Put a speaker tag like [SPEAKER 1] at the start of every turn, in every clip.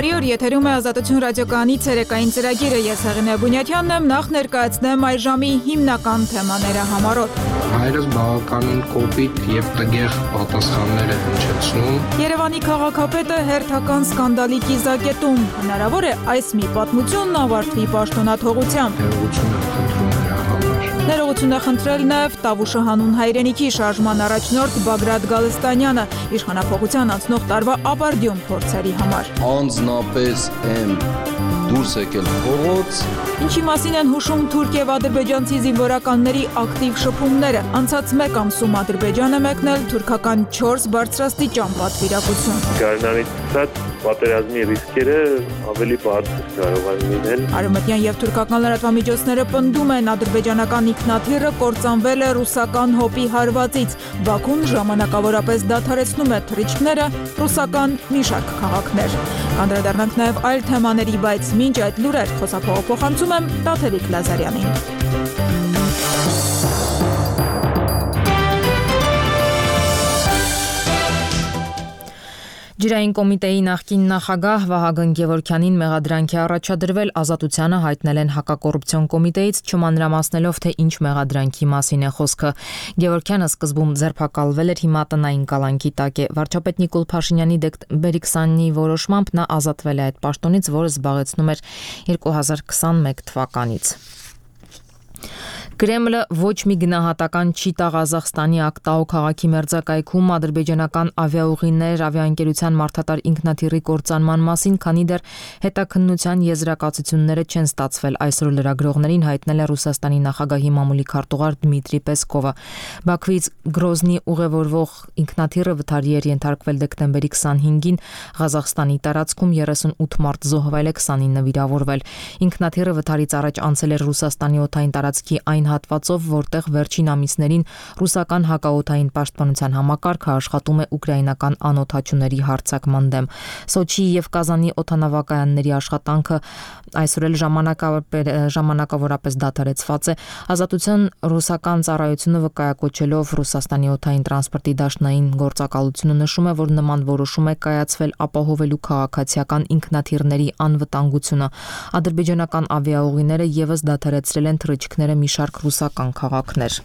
[SPEAKER 1] Բարի օր, եթերում է Ազատություն ռադիոկայանի ցերեկային ծրագիրը։ Ես Հեղինե Բունյաթյանն եմ, նախ ներկայացնեմ այս ժամի հիմնական թեմաները համառոտ։
[SPEAKER 2] Հայրս բավականին կոպիտ եւ տգեղ պատասխաններ է հնչեցնում։
[SPEAKER 1] Երևանի քաղաքապետը հերթական սկանդալի կիզակետում։ Հնարավոր է այս մի պատմությունն ավարտվի պաշտոնաթողությամբ։
[SPEAKER 2] Ներողություն է խնդրել
[SPEAKER 1] Ներողություն է խնդրել
[SPEAKER 2] նաև
[SPEAKER 1] նաև Տավուշը հանուն հայրենիքի շարժման առաջնորդ Բագրատ Գալստանյանը իշխանափոխության անցնող տարվա ապարդյուն փորձերի համար։
[SPEAKER 3] Անձնապես եմ դուրս եկել փողոց։
[SPEAKER 1] Ինչի մասին են հուշում թուրք եւ ադրբեջանցի զինվորականների ակտիվ շփումները։ Անցած մեկ ամսում Ադրբեջանը մեկնել թուրքական 4 բարձրաստիճան պատվիրակություն։
[SPEAKER 4] Գարնանից պատերազմի ռիսկերը ավելի բարձր կարող են լինել։
[SPEAKER 1] Արևմտյան եւ թուրքական լրատվամիջոցները պնդում են ադրբեջանական ինքնաթիռը կործանվել է ռուսական հոպի հարվածից։ Բաքուն ժամանակավորապես դադարեցնում է թռիչքները ռուսական մի շարք քաղաքներ։ Կանդրադառնանք նաեւ այլ թեմաների, բայց մինչ այդ լուրեր խոսափողը փոխանցում եմ Տաթևիկ Լազարյանին։ Ջրային կոմիտեի նախկին նախագահ Վահագն Գևորգյանին մեղադրանքի առաջադրվել Ազատությանը հայտնել են հակակոռուպցիոն կոմիտեից, չմանրամասնելով թե ինչ մեղադրանքի մասին է խոսքը։ Գևորգյանը սկզբում ձերբակալվել էր, հիմա տնային կալանքի տակ է։ Վարչապետ Նիկոլ Փաշինյանի Բերիքսյանի որոշմամբ նա ազատվել է այդ պաշտոնից, որը զբաղեցնում էր 2021 թվականից։ Կրեմլը ոչ մի գնահատական չի տա Ղազախստանի Ակտաու քաղաքի մերձակայքում ադրբեջանական ավիաուղիներ ավիաընկերության մարդատար ինքնաթիռի կործանման մասին, քանի դեռ հետաքննության եզրակացությունները չեն ստացվել, այսօր լրագրողներին հայտնել է Ռուսաստանի նախագահի մամուլի քարտուղար Դմիտրի Պեսկովը։ Բաքվից Գրոզնի ուղևորվող ինքնաթիռը վթարի էր ենթարկվել դեկտեմբերի 25-ին Ղազախստանի տարածքում, 38 մարդ զոհվել է, 29 վիրավորվել։ Ինքնաթիռը վթարից առաջ անցել էր Ռուսաստանի օդային տարածքի այն հատվածով, որտեղ վերջին ամիսներին ռուսական հակաօդային պաշտպանության համակարգը աշխատում է ուկրաինական անօդաչուների հարձակման դեմ։ Սոչիի եւ Կազանի օդանավակայանների աշխատանքը այսօր էլ ժամանակավորապես դադարեցված է։ Ազատության ռուսական ծառայությունը վկայակոչելով Ռուսաստանի օդային տրանսպորտի դաշնային գործակալությունը նշում է, որ նման որոշում է կայացվել ապահովելու քաղաքացիական ինքնաթիռների անվտանգությունը։ Ադրբեջանական ավիաուղիները եւս դադարեցրել են թռիչքները մի շարք ռուսական քաղաքներ։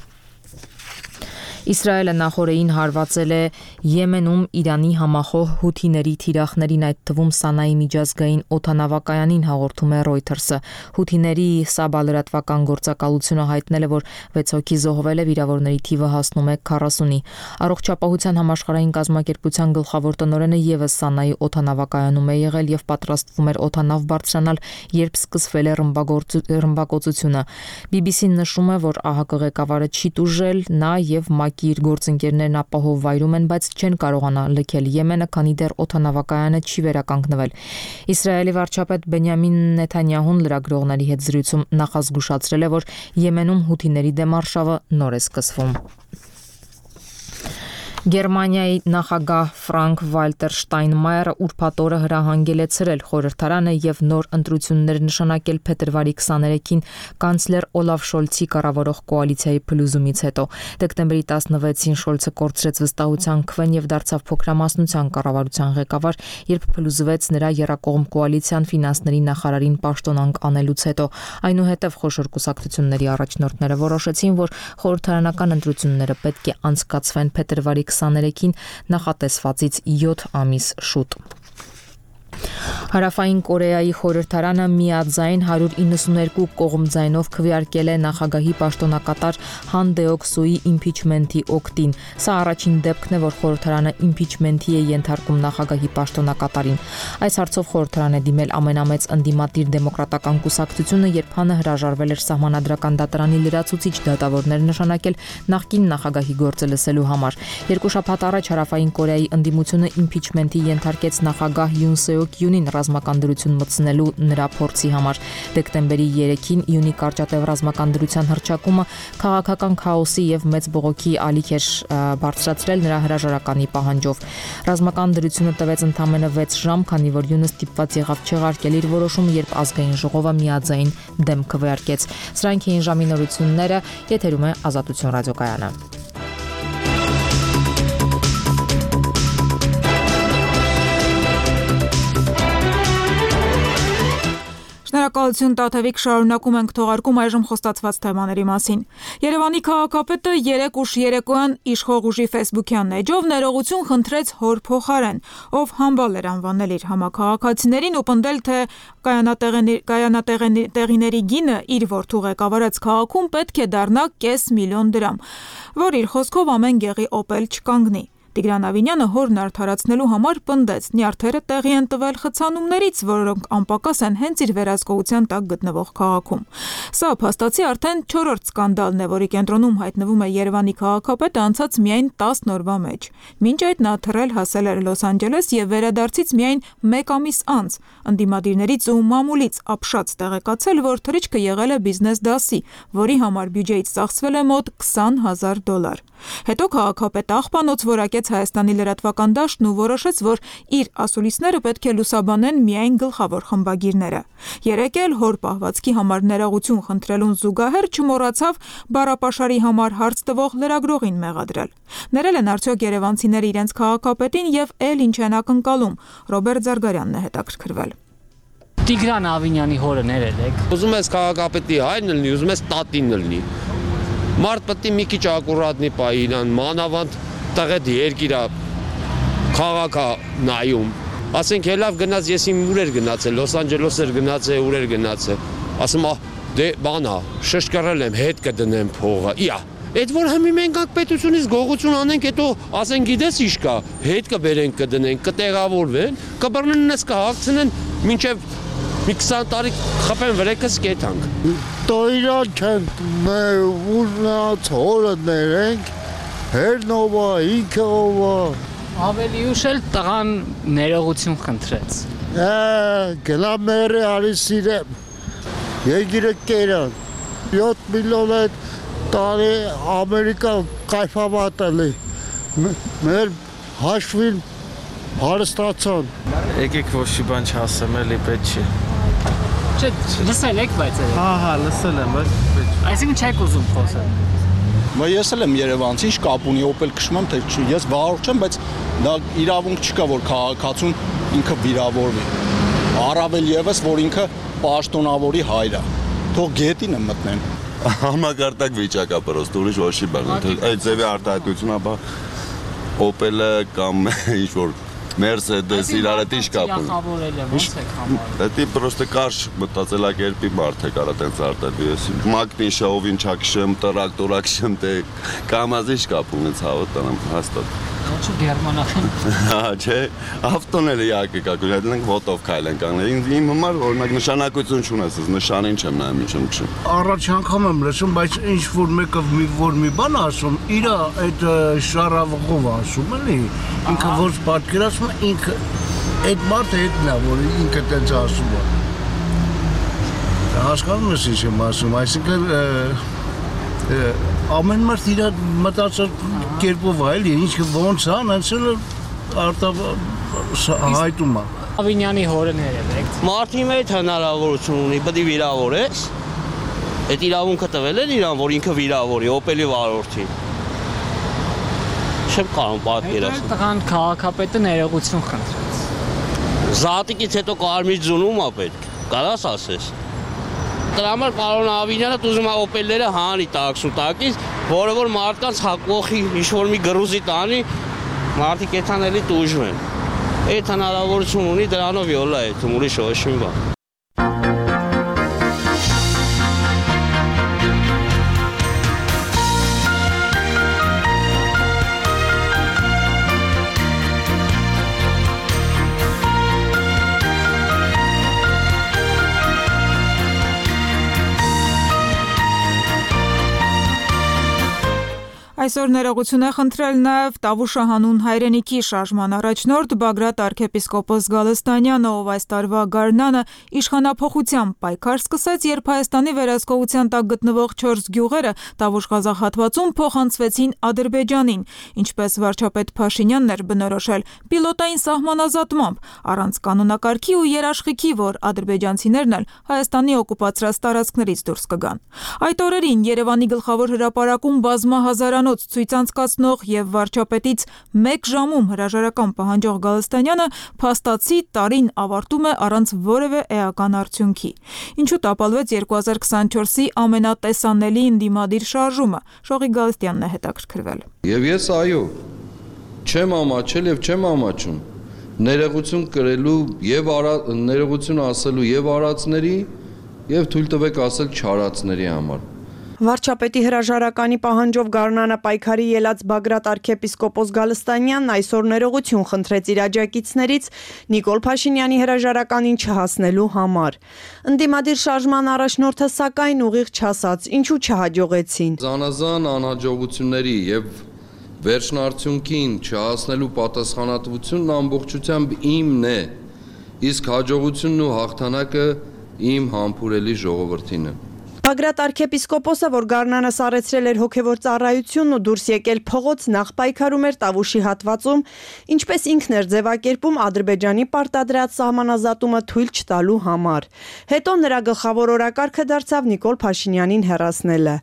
[SPEAKER 1] Իսրայելը նախորդին հարվածել է Եմենում Իրանի համախոհ հութիների թիրախներին, այդ թվում Սանայի միջազգային օդանավակայանին, հաղորդում է Reuters-ը։ Հութիների Սաբա լրատվական գործակալությունը հայտնել է, որ 6 հոգի զոհվել է, վիրավորների թիվը հասնում է 40-ի։ Առողջապահության համաշխարհային կազմակերպության գլխավոր տնօրենը եւս Սանայի օդանավակայանում է եղել եւ պատրաստվում էր օդանավ բարձրանալ, երբ սկսվել է ռմբակոծությունը։ BBC-ն նշում է, որ ԱՀԿ ղեկավարը չի տուժել, նա եւ իր գործընկերներն ապահով վայրում են, բայց չեն կարողանա լքել Եմենը, քանի դեռ օդանավակայանը չի վերականգնվել։ Իսրայելի վարչապետ Բենյամին Նեթանյահուն լրագրողների հետ զրույցում նախազգուշացրել է, որ Եմենում հութիների դեմ արշավը նոր է սկսվում։ Գերմանիայի նախագահ Ֆրանկ Վալտեր Շտայնմայերը ուրբաթ օրը հրահանգել է ցրել խորհրդարանը եւ նոր ընտրություններ նշանակել փետրվարի 23-ին կանցլեր Օլաֆ Շոլցի կառավարող կոալիցիայի փլուզումից հետո։ Դեկտեմբերի 16-ին Շոլցը կորցրեց վստահության քվեն եւ դարձավ փոքրամասնության կառավարության ղեկավար, երբ փլուզվեց նրա եռակողմ կոալիցիան ֆինանսների նախարարին պաշտոնանկ անելուց հետո։ Այնուհետև խոշոր կուսակցությունների առաջնորդները որոշեցին, որ խորհրդարանական ընտրությունները պետք է անցկացվեն փետրվարի 23-ին նախատեսվածից 7 ամիս շուտ։ Հարավային Կորեայի խորհրդարանը միաձայն 192 կողմձայնով քվեարկել է նախագահի պաշտոնակատար Han Deok-Suի իմփիչմենթի օգտին։ Սա առաջին դեպքն է, որ խորհրդարանը իմփիչմենթի է ենթարկում նախագահի պաշտոնակատարին։ Այս հարցով խորհրդարան է դիմել ամենամեծ ընդդիմադիր դեմոկրատական կուսակցությունը, երբ Հանը հրաժարվել էր սահմանադրական դատարանի լրացուցիչ դատավորներ նշանակել նախկին նախագահի գործը լսելու համար։ Երկու շաբաթ առաջ Հարավային Կորեայի ընդդիմությունը իմփիչմենթի ենթարկեց նախագահ Յուն Սեոկ Յունին ռազմական դրություն մտցնելու նրա փորձի համար։ Դեկտեմբերի 3-ին Յունի կարճատև ռազմական դրության հռչակումը քաղաքական քաոսի եւ մեծ բողոքի ալիք էր բարձրացրել նրա հրաժարականի պահանջով։ Ռազմական դրությունը տվեց ընդամենը 6 ժամ, քանի որ Յունը ստիպված եղավ չեղարկել իր որոշումը, երբ ազգային ժողովը միաձայն դեմ քվեարկեց։ Սրանք էին ժամի նորությունները, եթերում է Ազատություն ռադիոկայանը։
[SPEAKER 5] Շնորհակալություն Տաթևիկ, շարունակում ենք թողարկում այժմ խոստացված թեմաների մասին։ Երևանի քաղաքապետը 3 ուշ երեկոյան իշխող ուժի ֆեյսբուքյան էջով ներողություն խնդրեց հոր փոխարեն, ով համբալ էր անվանել իր համաքաղաքացիներին ու պնդել, թե կայանատեղիների գինը իր որդու ղեկավարած քաղաքում պետք է դառնա $500,000 դրամ, որ իր խոսքով ամեն գեղի օպել չկանգնի։ Տիգրան Ավինյանը հորն արդարացնելու համար պնդեց, նյարդերը տեղի են տվել խցանումներից, որոնք անպակաս են հենց իր վերահսկողության տակ գտնվող քաղաքում։ Սա փաստացի արդեն 4-րդ սկանդալն է, որի կենտրոնում հայտնվում է Երևանի քաղաքապետը անցած միայն 10 օրվա մեջ։ Մինչ այդ նա թռել հասել էր Լոս Անջելես եւ վերադարձից միայն 1 ամիս անց ընդդիմադիրներից ու մամուլից ապշած տեղեկացել, որ թռիչքը եղել է բիզնես դասի, որի համար բյուջեից ծախսվել է մոտ $20,000։ Հետո քաղաքապետը աղբանոց որակեց Հայաստանի լրատվական դաշտն ու որոշեց, որ իր ասուլիսները պետք է լուսաբանեն միայն գլխավոր խմբագիրները։ Երեկ էլ հոր պահվածքի համար ներողություն խնդրելուն զուգահեռ չմոռացավ բառապաշարի համար հարց տվող լրագրողին մեղադրել։ Ներել են արդյոք երևանցիները իրենց քաղաքապետին եւ էլ ինչ են ակնկալում։ Ռոբերտ Զարգարյանն է հետաքրքրվել։
[SPEAKER 6] Տիգրան Ավինյանի հորը ներել եք։
[SPEAKER 3] Ուզում ես քաղաքապետի հայրն լինի, ուզում ես տատին լինի։ Մարդ պետք է մի քիչ ակուրատնի պայի իրան, մանավանդ տղետ երկիրա քաղաքը նայում։ Ասենք հելավ գնաց, ես իմ ուր էր գնացել, Լոս Անջելես էր գնացել, ուր էր գնացել։ Ասում դե բանա, շշկռել եմ, հետ կդնեմ փողը։ Իա, այդ որ հիմի մենք ակ պետությունից գողություն անենք, հետո ասենք գիտես ինչ կա, հետ կբերենք, կդնենք, կտեղավորվեն, կբռնեն ես կհագցնեն, մինչև մի 20 տարի խփեն վրեկս կետանք։
[SPEAKER 7] Տոյրա չենք ուզնած հորը ներենք, հերնովա, ինքը ովա։
[SPEAKER 6] Ավելի ուշ էլ տղան ներողություն խնդրեց։
[SPEAKER 7] Գնա մերը արի սիրեմ, երկիրը կերան, 7 միլիոն այդ տարի Ամերիկա կայֆավատելի, մեր հաշվին հարստացան։
[SPEAKER 8] Եկեք ոչ մի բան չասեմ, էլի պետք չի։
[SPEAKER 6] Չէ, լսել եք, բայց
[SPEAKER 8] Հա, լսել եմ, բայց պետք չի։
[SPEAKER 6] այսինքն չեք ուզում խոսել։
[SPEAKER 9] Ես էլ եմ երևանցի, ինչ կապ ունի, օպել քշում եմ, թե ես վարորդ չեմ, բայց դա իրավունք չկա, որ քաղաքացուն ինքը վիրավորվի։ Առավել եւս, որ ինքը պաշտոնավորի հայր է։ Թող գետին եմ մտնեն։
[SPEAKER 10] Համակարգ վիճակա պրոստը ուրիշ ոչ մի բան։ Այդ ձևի արտահայտությունը, ապա օպելը կամ ինչ որ Mercedes իրար հետ ինչ կապ ունի։
[SPEAKER 6] Ոնց եք համարել։
[SPEAKER 10] Դա պրոստը կարճ մտածելակերպի մարդ է կարա տենց արտադրի ես։ Մագնիշովին չակշեմ, տրակտորակշեմ, դե կամազի ինչ կապ ունի ցավը տանեմ հաստատ։
[SPEAKER 6] Ոչ գերմանական։
[SPEAKER 10] Հա, չէ, ավտոները իհարկե կա, գնանք ոտով քայլեն կանգնել։ Իմ համար օրինակ նշանակություն չունես, նշանին չեմ նայում, ինչ եմ քշում։
[SPEAKER 7] Առաջ անգամ եմ լսում, բայց ինչ որ մեկը մի բան ասում, իր այդ շարավղով ասում էլի, ինքը որ պատկերացնում է, ինքը այդ մարդը հետն է, որ ինքը տենց ասում է։ Հասկանում ես ինչ եմ ասում, այսինքն ամեն մարդ իր մտածած կերպով այլ ինչ ոնց է, անցել հայտում է։
[SPEAKER 6] Ավինյանի հորը ներել եք։
[SPEAKER 11] Մարդի մեջ հնարավորություն ունի, պետք է վիրավորես։ Այդ իրավունքը տվել են իրան, որ ինքը վիրավորի, օպելի վարորդին։ Չեմ կարող պատկերացնել։
[SPEAKER 6] Տղան քաղաքապետը ներողություն խնդրեց։
[SPEAKER 11] Զատիկից հետո կարմիր ձունում է պետք։ Կարաս ասես։ Դրա համար պարոն Ավինյանը ուզում է օպելները հանի տաքսու տակից, որը որ մարդկանց հակողի ինչ-որ մի գրուզի տանի, մարդիկ էթանելի տուժվեն։ Այդ հնարավորություն ունի, դրանով յոլա է, ուրիշ ոչ մի բան։
[SPEAKER 5] Այսօր ներողություն է խնդրել նաև Տավուշը հանուն հայրենիքի շարժման առաջնորդ Բագրատ arczepiskopos Գալստանյանը, ով այս տարվա գարնանը իշխանափոխությամբ պայքար սկսեց, երբ Հայաստանի վերահսկողության տակ գտնվող 4 գյուղերը Տավուշ-Ղազախ հատվածում փոխանցվեցին Ադրբեջանին, ինչպես վարչապետ Փաշինյանն էր բնորոշել պիլոտային սահմանազատմամբ, առանց կանոնակարգի ու երաշխիքի, որ ադրբեջանցիներն էլ Հայաստանի օկուպացրած տարածքներից դուրս կգան։ Այդ օրերին Երևանի գլխավոր հրապարակում բազմահազարանոց փողոց ցույց անցկացնող եւ վարչապետից 1 ժամում հրաժարական պահանջող Գալստանյանը փաստացի տարին ավարտում է առանց որևէ էական արդյունքի։ Ինչու տապալվեց 2024-ի ամենատեսանելի ընդդիմադիր շարժումը։ Շողիկ Գալստյանն է հետաքրքրվել։
[SPEAKER 12] Եվ ես այո, չեմ ամաչել եւ չեմ ամաչում ներողություն կրելու եւ ներողություն ասելու եւ արածների եւ թույլ տվեք ասել չարածների համար։
[SPEAKER 13] Վարչապետի հրաժարականի պահանջով գարնանը պայքարի ելած Բագրատ arczepiskopos Գալստանյանն այսօր ներողություն խնդրեց իր աջակիցներից Նիկոլ Փաշինյանի հրաժարականին չհասնելու համար։ Ընդդիմադիր շարժման առաջնորդը սակայն ուղիղ չասաց, ինչու չհաջողեցին։
[SPEAKER 12] Զանազան անհաջողությունների եւ վերջնարդյունքին չհասնելու պատասխանատվությունն ամբողջությամբ իմն է, իսկ հաջողությունն ու հաղթանակը իմ համբուրելի ժողովրդին է։
[SPEAKER 13] Բագրատ arczepiskopos-ը, որ գարնանը սառեցրել էր հոգևոր ծառայությունն ու դուրս եկել փողոց, նախ պայքարում էր Տավուշի հատվածում, ինչպես ինքն էր ձևակերպում Ադրբեջանի պարտադրած սահմանազատումը թույլ չտալու համար։ Հետո նրա գլխավոր օրակարգը դարձավ Նիկոլ Փաշինյանին հեռացնելը։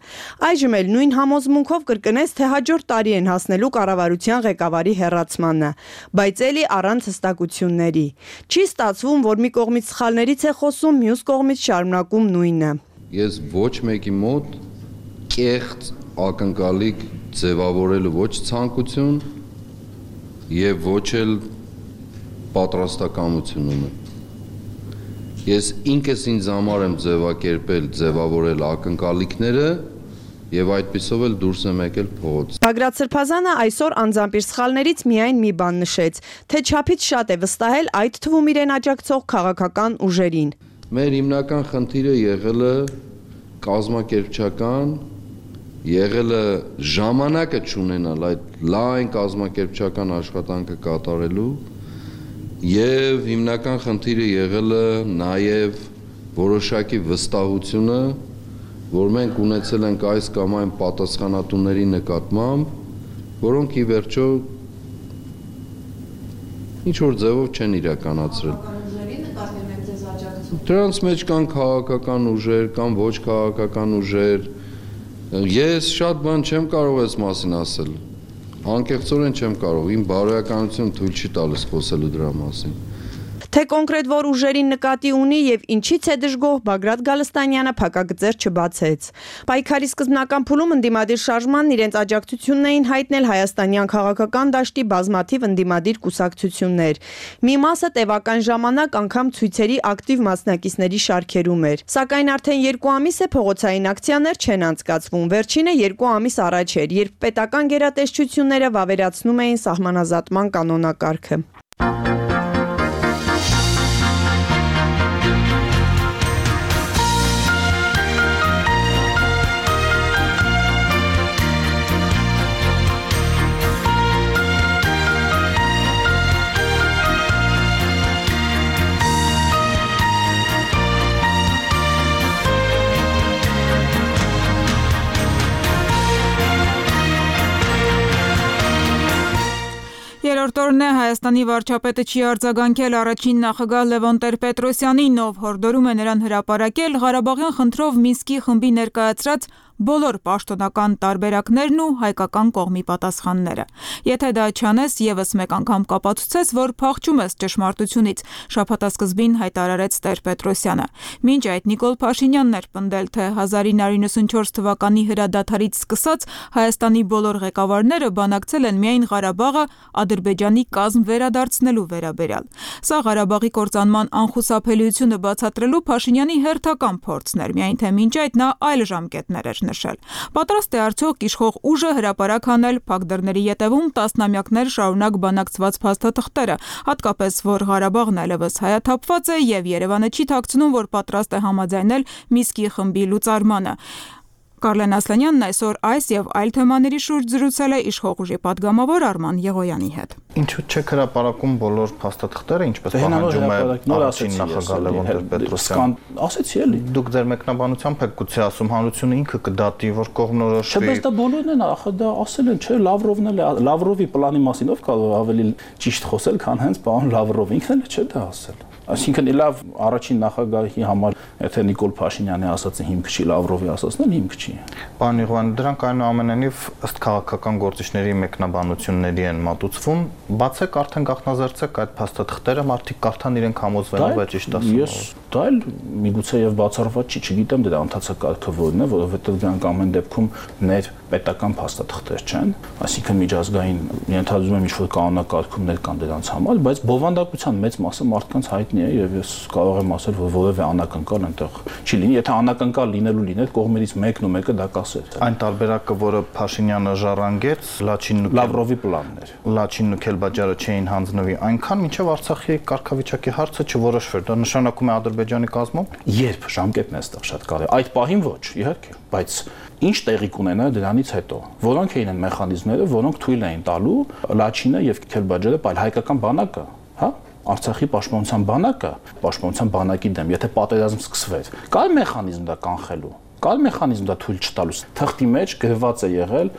[SPEAKER 13] Այժմ էլ նույն համոզմունքով կրկնեց, թե հաջորդ տարի են հասնելու կառավարության ղեկավարի հեռացմանը, բայց էլի առանց հստակությունների։ Չի ստացվում, որ մի կողմից սխալներից է խոսում, մյուս կողմից շարունակում նույնը։
[SPEAKER 12] Ես ոչ մեկի մոտ կեղծ ակնկալիք ձևավորելու ոչ ցանկություն եւ ոչ էլ պատրաստակամություն ունեմ։ Ես ինքս ինձ համար եմ ձևավորել ակնկալիքները եւ այդպիսով էլ դուրս եմ եկել փողոց։
[SPEAKER 13] Բագրատ Սրբազանը այսօր անձամբ իր սխալներից միայն մի բան նշեց, թե չափից շատ է վստահել այդ թվում իրեն աջակցող քաղաքական ուժերին։
[SPEAKER 12] Մեր հիմնական խնդիրը եղել է կազմակերպչական, եղել է ժամանակը չունենալ այդ լայն կազմակերպչական աշխատանքը կատարելու եւ հիմնական խնդիրը եղել է նաեւ որոշակի վստահությունը, որ մենք ունեցել ենք այս կամ այն պատասխանատուների նկատմամբ, որոնք ի վերջո ինչ որ ձևով չեն իրականացրել։ Դրանց մեջ կան քաղաքական ուժեր, կան ոչ քաղաքական ուժեր։ Ես շատ բան չեմ կարող այս մասին ասել։ Անկեղծորեն չեմ կարող, իմ բարոյականությունը թույլ չի տալիս խոսելու դրա մասին։
[SPEAKER 13] Թե կոնկրետ որ ուժերին նկատի ունի եւ ինչից է դժգոհ, Բագրատ Գալստանյանը փակագծեր չբացեց։ Պայքարի սկզբնական փուլում ընդդիմադիր շարժմանն իրենց աջակցությունն էին հայտնել հայաստանյան քաղաքական դաշտի բազմաթիվ ընդդիմադիր կուսակցություններ։ Մի մասը տևական ժամանակ անգամ ցույցերի ակտիվ մասնակիցների շարքերում էր։ Սակայն արդեն 2 ամիս է փողոցային ակցիաներ չեն անցկացվում։ Վերջինը 2 ամիս առաջ էր, երբ պետական գերատեսչությունները վավերացնում էին սահմանազատման կանոնակարգը։
[SPEAKER 5] Երրորդ օրն է Հայաստանի վարչապետը չի արձագանքել առաջին նախագահ Լևոն Տեր-Պետրոսյանին, ով հորդորում է նրան հրապարակել Ղարաբաղյան խնդրով Մինսկի խմբի ներկայացրած բոլոր պաշտոնական տարբերակներն ու հայկական կողմի պատասխանները։ Եթե դա չանես, եւս մեկ անգամ կապացուցես, որ փախչում ես ճշմարտությունից, շաբաթասկզբին հայտարարեց Տեր-Պետրոսյանը։ Մինչ այդ Նիկոլ Փաշինյանն էր պնդել, թե 1994 թվականի հրադադարից սկսած Հայաստանի բոլոր ղեկավարները բանակցել են միայն Ղարաբաղը Ադրբեջանի կազմ վերադարձնելու վերաբերյալ։ Սա Ղարաբաղի կործանման անխուսափելիությունը բացատրելու Փաշինյանի հերթական փորձն էր, միայն թե մինչ այդ նա այլ ժամկետներ էր նշել։ Պատրաստ է արդյոք իշխող ուժը հրապարակ անել փակ դռների ետևում տասնամյակներ շարունակ բանակցված փաստաթղթերը, հատկապես որ Ղարաբաղն այլևս հայաթափված է եւ Երևանը չի թաքցնում, որ պատրաստ է համաձայնել Մինսկի խմբի լուծարմանը։ Կարլեն Ասլանյանն այսօր այս եւ այլ թեմաների շուրջ զրուցել է իշխող ուժի падգամավոր Արման Եղոյանի հետ։
[SPEAKER 14] Ինչու՞ չեք հրապարակում բոլոր փաստաթղթերը, ինչպես պահանջում է առաջին նախագահ Լևոն Տեր-Պետրոսյանը։
[SPEAKER 8] Ասեցի էլի։
[SPEAKER 14] Դուք ձեր մեկնաբանությամբ եք գուցե ասում հանրությունը ինքը կդատի, որ կողմնորոշվի։
[SPEAKER 8] Չէ, բայց դա բոլորն են, ախր դա ասել են, չէ, Լավրովն էլ է, Լավրովի պլանի մասին ով կարող ավելի ճիշտ խոսել, քան հենց պարոն Լավրովը, ինքն էլ չէ դա ասել։ Այսինքն լավ առաջին նախագահի համար եթե Նիկոլ Փաշինյանի ասածը հիմք չի, Լավրովի ասածն էլ հիմք չի։
[SPEAKER 14] Պարոն Իղուան, դրանք այնուամենայնիվ ըստ քաղաքական գործիչների մեկնաբանությունների են մատուցվում, բացեք արդեն գաղտնազերծեք այդ փաստաթղթերը, մարդիկ կարդան իրենք համոզվեն, բայց ճիշտ ասում։
[SPEAKER 8] Ես դա էլ միգուցե եւ բացառված չի, չգիտեմ դրա ընթացակարգը որն է, որովհետեւ դրանք ամեն դեպքում ներ պետական փաստաթղթեր չեն, այսինքն միջազգային ենթադրում եմ ինչ-որ կանոնակարգումներ կան դրանց համար, բայց բովանդակության մեծ մասը մարդկանց հայտնի է եւ ես կարող եմ ասել, որ որևէ անակնկալ այնտեղ չի լինի, եթե անակնկալ լինելու լիներ, կողմերից մեկն ու մեկը դա կասեր։
[SPEAKER 14] Այն տարբերակը, որը Փաշինյանը ժառանգեց,
[SPEAKER 8] Լավրովի պլանն էր։
[SPEAKER 14] Լաչինն ու Քելբաջարը չէին հանձնվի, այնքան մինչև Արցախի կարգավիճակի հարցը չորոշվեր, դա նշանակում է Ադրբեջանի կազմում։
[SPEAKER 8] Երբ ժամկետն է այստեղ շատ կարևոր, այդ պահին ոչ, իհարկե, բայց ինչ տեղի կունենա դրանից հետո։ Որոնք էին այն մեխանիզմները, որոնք թույլ էին տալու Լաչինը եւ Քելբաջարը, այլ հայկական բանակը, հա, Արցախի պաշտպանության բանակի դեմ, եթե պատերազմ սկսվեր, կար մեխանիզմ դա կանխելու, կար մեխանիզմ դա թույլ չտալու։ Թղթի մեջ գրված է եղել,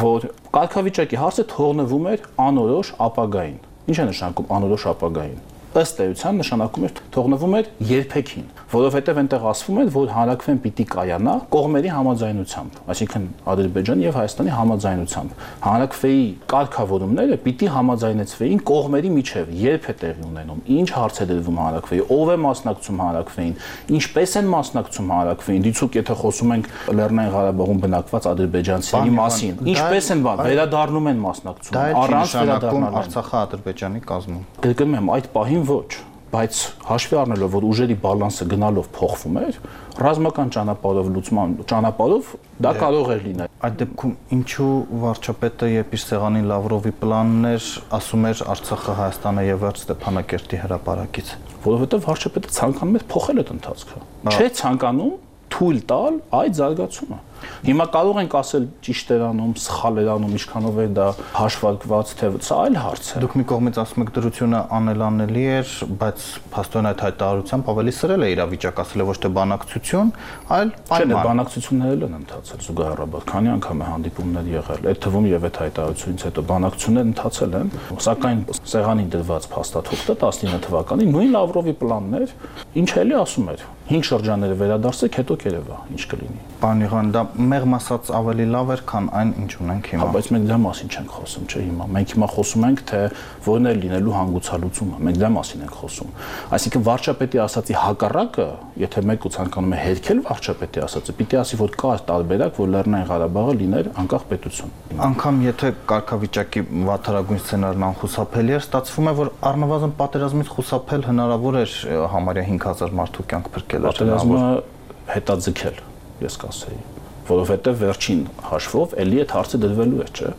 [SPEAKER 8] որ կարգավիճակի հարցը թողնվում էր անորոշ ապագային։ Ինչ է նշանակում անորոշ ապագային։ Ըստ էության նշանակում էր թողնվում էր երբեքին, որովհետև այնտեղ ասվում էր, որ հանրակրվեն պիտի կայանա կողմերի համաձայնությամբ, այսինքն Ադրբեջանի եւ Հայաստանի համաձայնությամբ։ Հանրակրվեի կարգավորումները պիտի համաձայնեցվեին կողմերի միջև, երբ է տեղի ունենում, ինչ հարց է դրվում հանրակրվեի, ով է մասնակցում հանրակրվեին, ինչպես են մասնակցում հանրակրվեին, դիցուք եթե խոսում ենք Լեռնային Ղարաբաղում բնակված ադրբեջանցիների մասին, ինչպես են վերադառնում են մասնակցում, առանց վերադառնալու
[SPEAKER 14] Արցախը Ադրբեջանի կազմում։
[SPEAKER 8] Գրկում եմ այդ պահին ոչ, բայց հաշվի առնելով, որ ուժերի բալանսը գնալով փոխվում էր, ռազմական ճանապարհով լուծման ճանապարհով դա կարող էր լինել։
[SPEAKER 14] Այդ դեպքում ինչու վարչապետը երբ իր սեղանին Լավրովի պլանն էր, ասում էր Արցախը Հայաստանը եւ վերջ Ստեփանակերտի հրապարակից,
[SPEAKER 8] որովհետեւ վարչապետը ցանկանում էր փոխել այդ ընթացքը։ Չէ ցանկանում թույլ տալ այդ զարգացումը։ Հիմա կարող ենք ասել ճիշտ էր անում, սխալ էր անում, ինչքանով է դա հաշվարկված, թե սա այլ հարց է։
[SPEAKER 14] Դուք մի կողմից ասում եք դրությունը անելանելի էր, բայց փաստորեն այդ հայտարարությամբ ավելի սրել է իրավիճակը, ասել է ոչ թե բանակցություն, այլ
[SPEAKER 8] պայման։ Բանակցություններն են ընթացել զուգահեռաբար, քանի անգամ է հանդիպումներ եղել, այդ թվում եւ այդ հայտարարությունից հետո բանակցություններ ընթացել են, սակայն սեղանին դրված փաստաթուղթը 19 թվականին նույն Լավրովի պլանն էր, ինչ էլի ասում էր 5 շրջանները վերադարձեք, հետո կերևա, ինչ կլինի։
[SPEAKER 14] Պարոն Իղուան, դա մեղմ ասած ավելի լավ էր, քան այն, ինչ ունենք հիմա։
[SPEAKER 8] Բայց մենք դրա մասին չենք խոսում, չէ՞ հիմա։ Մենք հիմա խոսում ենք, թե որն է լինելու հանգուցալուծումը։ Մենք դրա մասին ենք խոսում։ Այսինքն վարչապետի ասածի հակառակը, եթե մեկը ցանկանում է հերքել վարչապետի ասածը, պիտի ասի, որ կա տարբերակ, որ Լեռնային Ղարաբաղը լիներ անկախ պետություն։
[SPEAKER 14] Անկամ եթե կարգավիճակի վատթարագույն սցենարն անխուսափելի էր, ստացվում է, որ առնվազն պատերազմից խուսափել հնարավոր էր համարյա 5000 մարդու կյանք փրկել։
[SPEAKER 8] Պատերազմը հետաձգել, ես կասեի, որովհետև վերջին հաշվով էլի այդ հարցը դրվելու է, չէ։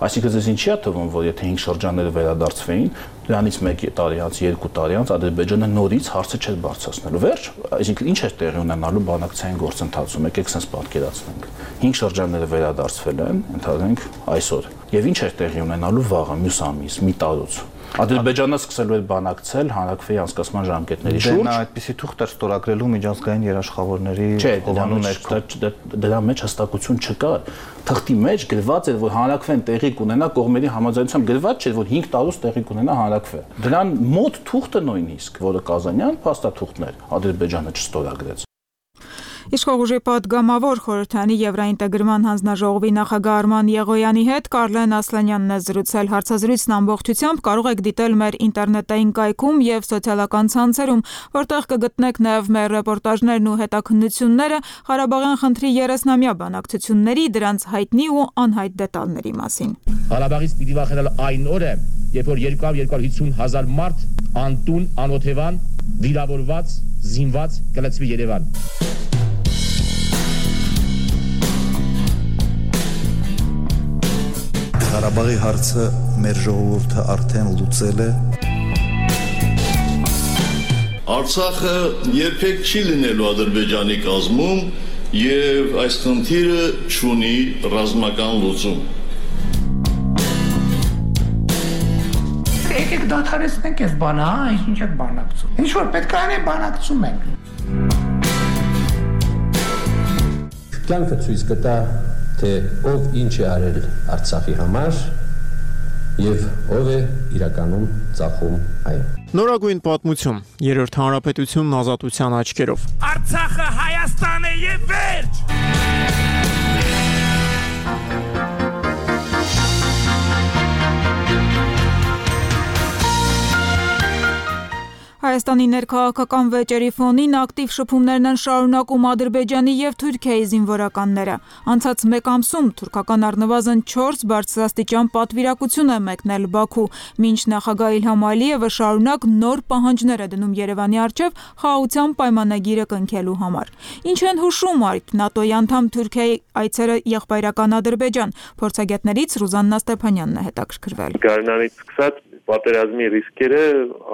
[SPEAKER 8] Այսինքն ձեզ ինչի է թվում, որ եթե 5 շրջանները վերադարձվեին, դրանից 1 տարի անց, 2 տարի անց Ադրբեջանը նորից հարցը չէր բարձրացնելու։ Վերջ, այսինքն ինչ է տեղի ունենալու բանակցային գործընթացում, եկեք sense պատկերացնենք։ 5 շրջանները վերադարձվել են, ընդհանրենք այսօր։ Եվ ինչ է տեղի ունենալու վաղը, մյուս ամիս, մի տարուց։ Ադրբեջանը սկսելու է բանակցել հանրակրվեի անցկացման ժամկետների շուրջ։
[SPEAKER 14] Դա այդպիսի թուղթ էր ստորագրելու միջազգային երաշխավորների
[SPEAKER 8] հովանու ներքո։ Դրա մեջ հստակություն չկա։ Թղթի մեջ գրված էր, որ հանրակրվեն տեղի կունենա կողմերի համաձայնությամբ, գրված չէր, որ 5 տարուց տեղի կունենա հանրակրվե։ Դրան մոտ թուղթը նույնիսկ, որը Կազանյան փաստաթուղթն էր, Ադրբեջանը չստորագրեց։
[SPEAKER 5] Իշխող ուժի պատգամավոր խորհրդանի Եվրաինտեգրման հանձնաժողովի նախագահ Արման Եղոյանի հետ Կարլեն Ասլանյանն է զրուցել։ Հարցազրույցն ամբողջությամբ կարող եք դիտել մեր ինտերնետային կայքում եւ սոցիալական ցանցերում, որտեղ կգտնեք նաեւ մեր ռեպորտաժներն ու հետաքննությունները Ղարաբաղյան խնդրի 30-ամյա բանակցությունների, դրանց հայտնի ու անհայտ դետալների մասին։
[SPEAKER 15] Ղարաբաղից պիտի վախենալ այն օրը, երբ որ 200-250 հազար մարդ անտուն, անօթևան, վիրավորված, զինված կլցվի Երևան։
[SPEAKER 16] Ղարաբաղի հարցը մեր ժողովուրդը արդեն լուծել է։
[SPEAKER 17] Արցախը երբեք չի լինելու Ադրբեջանի կազմում եւ այս խնդիրը չունի ռազմական լուծում։
[SPEAKER 18] Եկեք դադարեցնենք այս բանը, հա, ինչ եք բանակցում։ Ինչ որ պետք է անենք, բանակցում ենք։
[SPEAKER 19] Կյանքը ցույց կտա, թե ով ինչ է արել Արցախի համար եւ ով է իրականում ծախում այն։
[SPEAKER 20] Նորագույն պատմություն, երրորդ հանրապետությունն ազատության աչքերով։
[SPEAKER 21] Արցախը Հայաստան է եւ վերջ։
[SPEAKER 5] Հայաստանի ներքաղաքական վեճերի ֆոնին ակտիվ շփումներն են շարունակում Ադրբեջանի եւ Թուրքիայի զինվորականները։ Անցած մեկ ամսում թուրքական առնվազն 4 բարձրաստիճան պատվիրակություն է մեկնել Բաքու, մինչ նախագահ Իլհամ Ալիևը շարունակ նոր պահանջներ է դնում Երևանի առջև խաղաղության պայմանագիրը կնքելու համար։ Ինչ են հուշում այդ ՆԱՏՕ-ի անդամ Թուրքիայի այցերը եղբայրական Ադրբեջան։ Փորձագետներից Ռուզաննա Ստեփանյանն է հետաքրքրվել։
[SPEAKER 4] Գարնանից սկսած պատերազմի ռիսկերը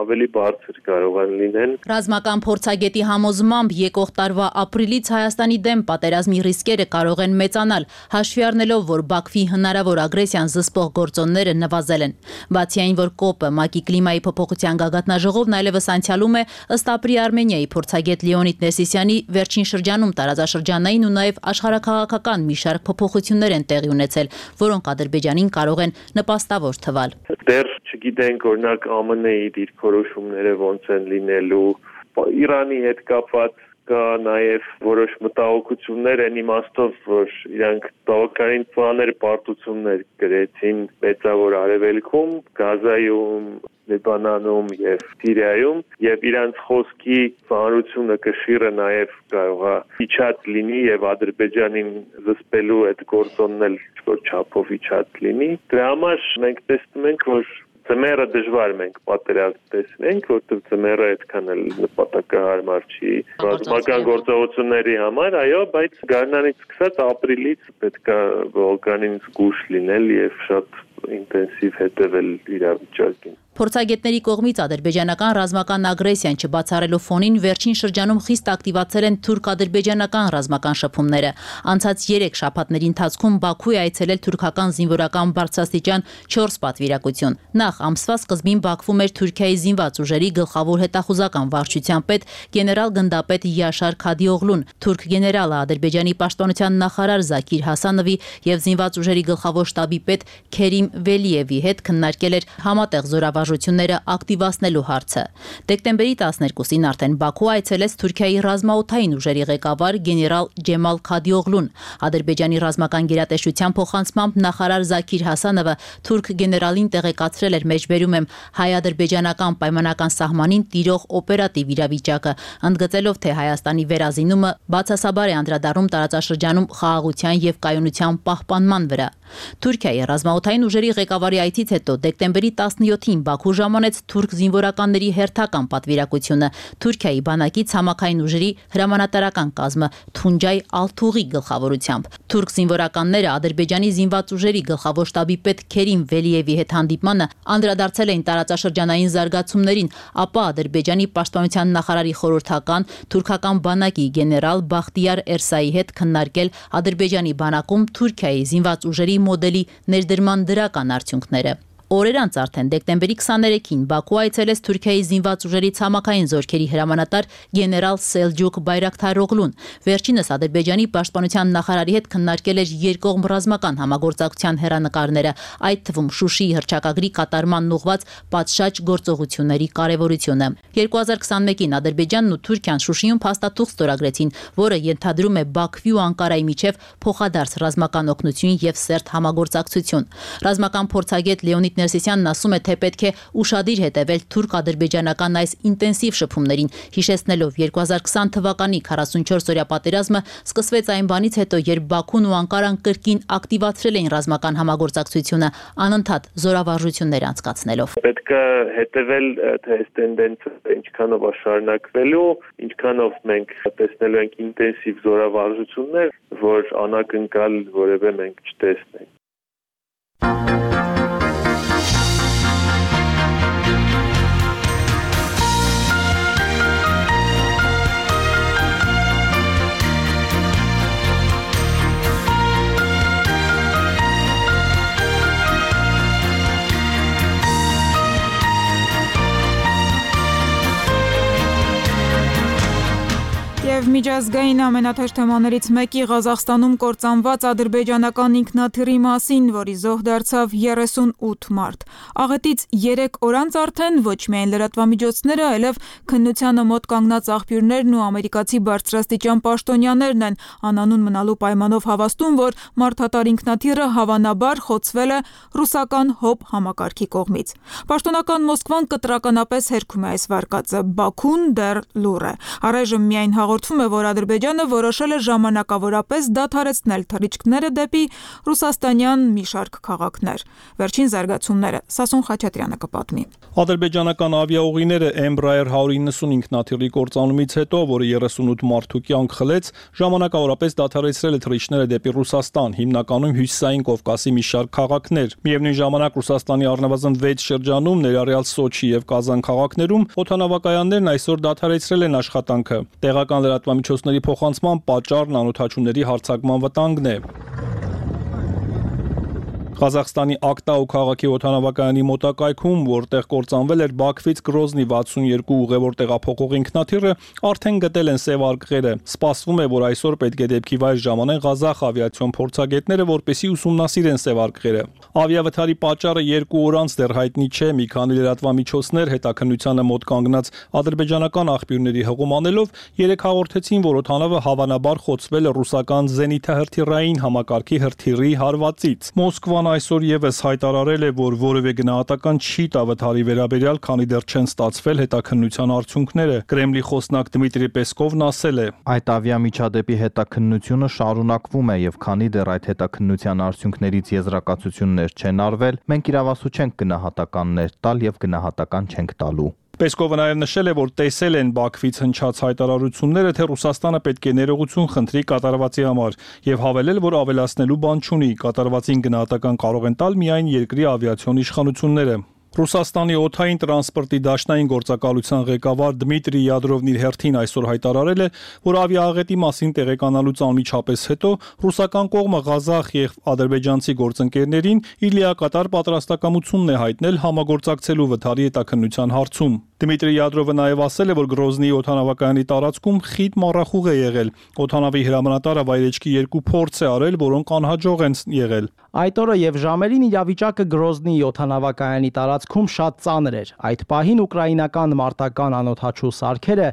[SPEAKER 4] ավելի բարձր կարող են լինեն։
[SPEAKER 22] Ռազմական փորձագետի համոզմամբ եկող տարվա ապրիլից Հայաստանի դեմ պատերազմի ռիսկերը կարող են մեծանալ, հաշվի առնելով, որ Բաքվի հնարավոր ագրեսիան զսպող գործոնները նվազել են։ Բացի այն, որ ԿՕՊ-ը ՄԱԿ-ի կլիմայի փոփոխության գագաթնաժողովն այլևս անցյալում է, ըստ ապրի Արմենիայի փորձագետ Լեոնիդ Ներսիսյանի, վերջին շրջանում տարածաշրջանային ու նաև աշխարհաքաղաքական մի շարք փոփոխություններ են տեղի ունեցել, որոնք Ադրբեջանին կարող են նպաստավոր թվալ։
[SPEAKER 4] Դեռ չգիտենք օրինակ ԱՄՆ-ի դիրքորոշումները ոնց են լինելու, Իրանի հետ կապված կա նաև որոշ մտահոգություններ են իմաստով, որ իրանք բավականին ծանր պարտություններ գրեցին Մեծավոր Արևելքում, Գազայում, Լիբանանում եւ Սիրիայում եւ իրանց խոսքի ծանրությունը կշիռը նաև կարող է իջած լինի եւ Ադրբեջանին զսպելու այդ գործոնն էլ ոչ չափով իջած լինի։ Դրա համար մենք տեսնում ենք, որ Ձմեռը դժվար մենք պատերազմ տեսնենք, որտեղ ձմեռը այդքան էլ նպատակահարմար չի ռազմական գործողությունների համար, այո, բայց գարնանից սկսած ապրիլից պետք է բավականին զգուշ լինել եւ շատ ինտենսիվ հետևել իրավիճակին։
[SPEAKER 22] Փորձագետների կողմից ադրբեջանական ռազմական ագրեսիան չբացառելու ֆոնին վերջին շրջանում խիստ ակտիվացել են թուրք-ադրբեջանական ռազմական շփումները։ Անցած 3 շաբաթների ընթացքում Բաքու է այցելել թուրքական զինվորական բարձրաստիճան 4 պատվիրակություն։ Նախ ամսվա սկզբին Բաքվում էր Թուրքիայի զինված ուժերի գլխավոր հետախուզական վարչության պետ գեներալ գնդապետ Յաշար Քադիօղլուն, թուրք գեներալը Ադրբեջանի պաշտպանության նախարար Զաքիր Հասանովի եւ զինված ուժերի գլխավոր շտաբի պետ Քերիմ Վելիևի հետ քննարկել էր համատեղ զորավարժությունները ակտիվացնելու հարցը։ Դեկտեմբերի 12-ին արդեն Բաքու այցելեց Թուրքիայի ռազմաօդային ուժերի ղեկավար գեներալ Ջեմալ Քադիօղլուն։ Ադրբեջանի ռազմական գերատեսչության փոխանցմամբ նախարար Զաքիր Հասանովը թուրք գեներալին տեղեկացրել էր մեջբերում եմ հայ-ադրբեջանական պայմանական սահմանին տիրող օպերատիվ իրավիճակը, ընդգծելով, թե Հայաստանի վերազինումը բացասաբար է անդրադառնում տարածաշրջանում խաղաղության եւ կայունության պահպանման վրա։ Թուրքիայի ռազմաօդային ուժերի ղեկավարի այցից հետո դեկտեմբերի 17-ին Բաքու ժամանեց թուրք զինվորականների հերթական պատվիրակությունը Թուրքիայի բանակի ցամաքային ուժերի հրամանատարական կազմը Թունջայ Ալթուղի գլխավորությամբ։ Թուրք զինվորականները Ադրբեջանի զինված ուժերի գլխավոր շտաբի պետ Քերիմ Վելիևի հետ հանդիպմանը անդրադարձել էին տարածաշրջանային զարգացումներին, ապա Ադրբեջանի պաշտպանության նախարարի խորհրդական թուրքական բանակի գեներալ Բախտիար Էրսայի հետ քննարկել Ադրբեջանի բանակում Թուրքիայի զինված ուժերի մոդելի ներդրման դրական արդյունքները։ Օրեր անց արդեն դեկտեմբերի 23-ին Բաքու այցելեց Թուրքիայի զինված ուժերի ցամաքային զորքերի հրամանատար գեներալ Սելջուկ Բայրակթարօղլուն։ Վերջինս Ադրբեջանի պաշտպանության նախարարի հետ քննարկել էր երկկողմ ռազմական համագործակցության հերանեկարները, այդ թվում Շուշիի հռչակագրի կատարմանն ուղղված պատշաճ գործողությունների կարևորությունը։ 2021-ին Ադրբեջանն ու Թուրքիան Շուշիում փաստաթուղթ ստորագրեցին, որը ենթադրում է Բաքվի ու Անկարայի միջև փոխադարձ ռազմական օգնություն եւ սերտ համագործակցություն։ Ռազմական փորձագետ Լեոնիդ Ներսիսյանն ասում է, թե պետք է ուշադիր հետևել թուրք-ադրբեջանական այս ինտենսիվ շփումներին, հիշեցնելով 2020 թվականի 44-օրյա պատերազմը սկսվեց այն բանից հետո, երբ Բաքուն ու Անկարան կրկին ակտիվացրել էին ռազմական համագործակցությունը, անընդհատ զորավարժություններ անցկացնելով։
[SPEAKER 4] Պետք է հետևել, թե այս տենդենսը ինչքանով է շարունակվելու, ինչքանով մենք տեսնելու ենք ինտենսիվ զորավարժություններ, որ անակնկալ որևէ մենք չտեսնենք։
[SPEAKER 5] Եվ Եվ միջազգային ամենաթեժ թեմաներից մեկի Ղազախստանում կործանված ադրբեջանական ինքնաթիռի մասին, որի զոհ դարձավ 38 մարդ։ Աղետից 3 օր անց արդեն ոչ միայն լրատվամիջոցները, այլև քննությանը մոտ կանգնած աղբյուրներն ու ամերիկացի բարձրաստիճան պաշտոնյաներն են անանուն մնալու պայմանով հավաստում, որ մարդատար ինքնաթիռը հավանաբար խոցվել է ռուսական ՀՕՊ համակարգի կողմից։ Պաշտոնական Մոսկվան կտրականապես հերքում է այս վարկածը, Բաքուն դեռ լուռ է։ Առայժմ միայն հաղորդվում է, որ Ադրբեջանը որոշել է ժամանակավորապես դադարեցնել թռիչքները դեպի ռուսաստանյան մի շարք քաղաքներ։ Վերջին զարգացումները Սասուն Խաչատրյանը կպատմի։
[SPEAKER 1] Ադրբեջանական ավիաուղիները Embraer 190 ինքնաթիռի կործանումից հետո, որը 38 մարդու կյանք խլեց, ժամանակավորապես դադարեցրել է թռիչքները դեպի Ռուսաստան, հիմնականում հյուսիսային Կովկասի մի շարք քաղաքներ։ Միևնույն ժամանակ Ռուսաստանի առնվազն 6 շրջանում, ներառյալ Սոչի եւ Կազան քաղաքներում, օդանավակայաններն այսօր դադարեցրել են աշխատանքը։ Տեղական լրատվամիջոցների փոխանցման պատճառն անօդաչուների հարձակման վտանգն է։ Ղազախստանի Ակտաու քաղաքի օդանավակայանի մոտակայքում, որտեղ կործանվել էր Բաքվից Գրոզնի 62 ուղևոր տեղափոխող ինքնաթիռը, արդեն գտել են սև արկղերը։ Սպասվում է, որ այսօր պետք է դեպքի վայր ժամանեն Ղազախ ավիացիոն փորձագետները, որպեսզի ուսումնասիրեն սև արկղերը։ Ավիավթարի պատճառը 2 օր անց դեռ հայտնի չէ, մի քանի լրատվամիջոցներ հետաքննությանը մոտ կանգնած ադրբեջանական աղբյուրների հղում անելով 3 հաղորդեցին, որ օդանավը հավանաբար խոցվել է ռուսական զենիթահրթիռային համակարգի հրթիռի հարվածից։ Մոսկվան այսօր եւս հայտարարել է, որ որևէ գնահատական չի տա վթարի վերաբերյալ, քանի դեռ չեն ստացվել հետաքննության արդյունքները։ Կրեմլի խոսնակ Դմիտրի Պեսկովն ասել է.
[SPEAKER 14] Այդ ավիամիջադեպի հետաքննությունը շարունակվում է եւ քանի դեռ այդ հետաքննության արդյունքներից եզրակացություններ չեն արվել, մենք իրավասու չենք գնահատականներ տալ եւ գնահատական չենք տալու։
[SPEAKER 1] Պեսկովը նաև նշել է, որ տեսել են Բաքվից հնչած հայտարարությունները, թե Ռուսաստանը պետք է ներողություն խնդրի կատարվածի համար եւ հավելել, որ ավելացնելու բան չունի, կատարվածին գնահատական կարող են տալ միայն երկրի ավիացիոն իշխանությունները։ Ռուսաստանի օդային տրանսպորտի դաշնային գործակալության ղեկավար Դմիտրի Յադրովն իր հերթին այսօր հայտարարել է, որ ավիաաղետի մասին տեղեկանալուց անմիջապես հետո ռուսական կողմը Ղազախ եւ ադրբեջանցի գործընկերներին իր լիակատար պատրաստակամությունն է հայտնել համագործակցելու վթարի հետաքննության հարցում։ Դմիտրի Յադրովը նաև ասել է, որ Գրոզնի օդանավակայանի տարածքում խիտ մառախուղ է եղել։ Օդանավի հրամանատարը վայրեջքի 2 փորձ է արել, որոնք անհաջող են եղել։
[SPEAKER 2] Այդ օրը եւ ժամերին իրավիճակը Գրոզնի օդանավակայանի տարածքում շատ ծանր էր։ Այդ պահին ուկրաինական մարտական անօդաչու սարքերը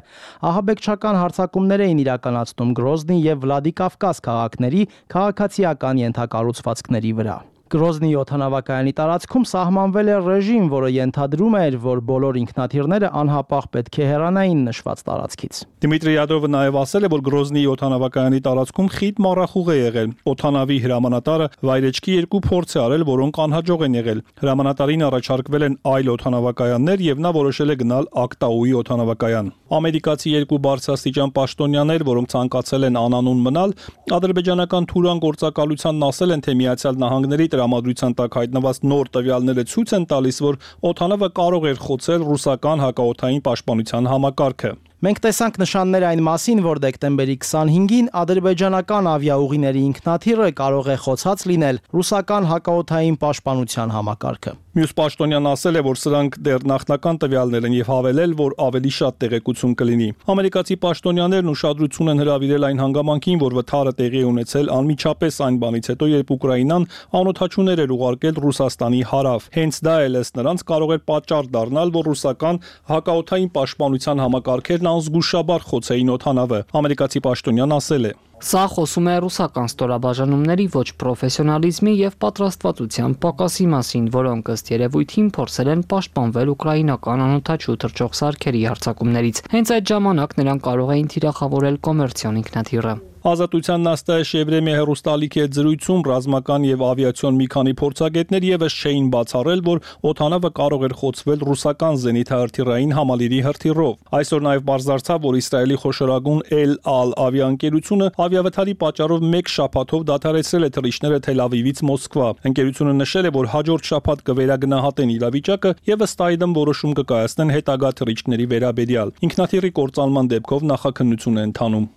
[SPEAKER 2] ահաբեկչական հարձակումներ էին իրականացնում Գրոզնի եւ Վլադիկավկազ քաղաքների քաղաքացիական ենթակառուցվածքների վրա։ Գրոզնի օդանավակայանի տարածքում սահմանվել է ռեժիմ, որը ենթադրում էր, որ բոլոր ինքնաթիռները անհապաղ պետք է հեռանային նշված տարածքից։
[SPEAKER 1] Դմիտրի Յադրովը նաև ասել է, որ Գրոզնի օդանավակայանի տարածքում խիտ մառախուղ է եղել։ Օդանավի հրամանատարը վայրեջքի 2 փորձ է արել, որոնք անհաջող են եղել։ Հրամանատարին առաջարկվել են այլ օդանավակայաններ եւ նա որոշել է գնալ Ակտաուի օդանավակայան։ Ամերիկացի 2 բարձրաստիճան պաշտոնյաներ, որոնք ցանկացել են անանուն մնալ, ադրբեջանական Թուրան գործակալությանն ասել են, թե Միացյալ Նահանգների տրամադրության տակ հայտնված նոր տվյալները ցույց են տալիս, որ օդանավը կարող էր խոցել ռուսական հակաօդային պաշտպանության համակարգը։
[SPEAKER 2] Մենք տեսանք նշաններ այն մասին, որ դեկտեմբերի 25-ին ադրբեջանական ավիաուղիների ինքնաթիռը կարող է խոցած լինել ռուսական հակաօդային պաշտպանության համակարգը։
[SPEAKER 1] Մյուս պաշտոնյան ասել է, որ սրանք դեռ նախնական տվյալներ են եւ հավելել, որ ավելի շատ տեղեկություն կլինի։ Ամերիկացի պաշտոնյաներն ուշադրություն են հրավիրել այն հանգամանքին, որ վթարը տեղի է ունեցել անմիջապես այն բանից հետո, երբ Ուկրաինան անօդաչուներ էր ուղարկել Ռուսաստանի հարավ։ Հենց դա էլ ըստ նրանց կարող էր պատճառ դառնալ, որ ռուսական հակաօդային պաշտպանության համակարգերն անզգուշաբար խոցեին օդանավը։ Ամերիկացի պաշտոնյան ասել է.
[SPEAKER 6] Սա խոսում է ռուսական ստորաբաժանումների ոչ պրոֆեսիոնալիզմի եւ պատրաստվածության պակասի մասին, որոնք ըստ երևույթին փորձել են պաշտպանվել ուկրաինական անօդաչու թռչող սարքերի հարձակումներից։ Հենց այդ ժամանակ նրանք կարող էին թիրախավորել կոմերցիոն ինքնաթիռը։
[SPEAKER 1] Ազատության նաստայ Շևրեմի հեռուստալիքի հետ զրույցում ռազմական եւ ավիացիոն մի քանի փորձագետներ եւս չէին բացառել, որ օդանավը կարող էր խոցվել ռուսական զենիթահրթիռային համալիրի հրթիռով։ Այսօր նաեւ բարձրացավ, որ Իսրայելի խոշորագույն El Al ավիաընկերությունը ավիավթարի պատճառով 1 շաբաթով դադարեցրել է թռիչքները Թել Ավիվից Մոսկվա։ Ընկերությունը նշել է, որ հաջորդ շաբաթ կվերագնահատեն իրավիճակը եւ ըստ այդմ որոշում կկայացնեն հետագա թռիչքների վերաբերյալ։ Ինքնաթիռի կործանման դեպքով նախաքննություն է ընթանում։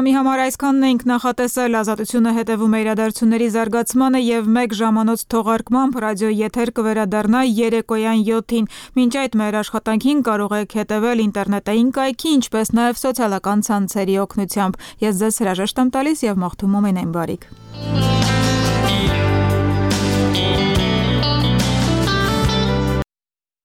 [SPEAKER 5] ժամի համար այսքանն ենք նախատեսել։ Ազատությունը հետևում է իրադարձությունների զարգացմանը եւ 1 ժամանոց թողարկմամբ ռադիո եթեր կվերադառնա երեկոյան 7-ին։ Մինչ այդ մեր աշխատանքին կարող եք հետևել ինտերնետային կայքի, ինչպես նաեւ սոցիալական ցանցերի օգնությամբ։ Ես ձեզ հրաժեշտ եմ տալիս եւ մաղթում ամենայն բարիք։